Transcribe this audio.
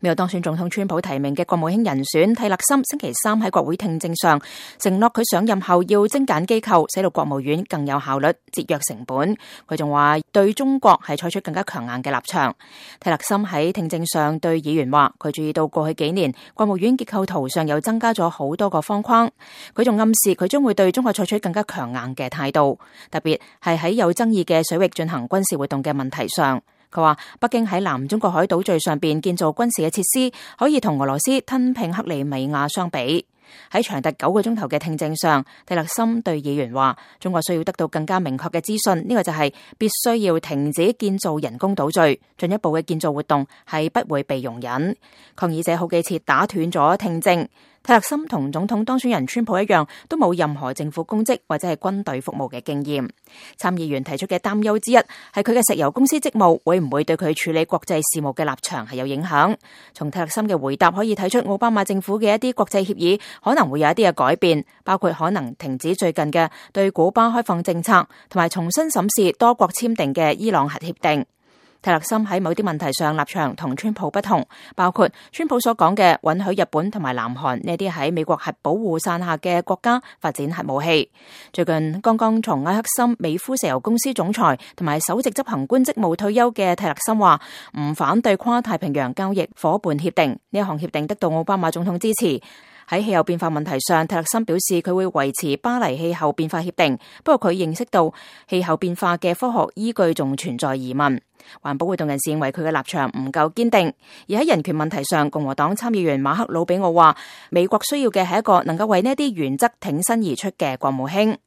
未有當選總統川普提名嘅國務卿人選蒂勒森星期三喺國會聽證上承諾佢上任後要精簡機構，使到國務院更有效率、節約成本。佢仲話對中國係採取更加強硬嘅立場。蒂勒森喺聽證上對議員話，佢注意到過去幾年國務院結構圖上又增加咗好多個方框。佢仲暗示佢將會對中國採取更加強硬嘅態度，特別係喺有爭議嘅水域進行軍事活動嘅問題上。佢話北京喺南中國海島嶼上邊建造軍事嘅設施，可以同俄羅斯吞併克里米亞相比。喺長達9個鐘頭嘅聽證上，蒂勒森對議員話，中國需要得到更加明確嘅資訊，呢個就係必須要停止建造人工島嶼，進一步嘅建造活動係不會被容忍。抗議者好幾次打斷咗聽證。蒂勒森同總統當選人川普一樣，都冇任何政府公職或者係軍隊服務嘅經驗。參議員提出嘅擔憂之一係佢嘅石油公司職務會唔會對佢處理國際事務嘅立場係有影響。從蒂勒森嘅回答可以睇出，奧巴馬政府嘅一啲國際協議可能會有一啲嘅改變，包括可能停止最近嘅對古巴開放政策，同埋重新審視多國簽訂嘅伊朗核協定。蒂勒森喺某啲問題上立場同川普不同，包括川普所講嘅允許日本同埋南韓呢啲喺美國核保護傘下嘅國家發展核武器。最近剛剛從埃克森美孚石油公司總裁同埋首席執行官職務退休嘅蒂勒森話唔反對跨太平洋交易夥伴協定，呢一項協定得到奧巴馬總統支持。喺氣候變化問題上，蒂勒森表示佢會維持巴黎氣候變化協定，不過佢認識到氣候變化嘅科學依據仲存在疑問。環保活動人士認為佢嘅立場唔夠堅定，而喺人權問題上，共和黨參議員馬克魯比奧話，美國需要嘅係一個能夠為呢啲原則挺身而出嘅國務卿。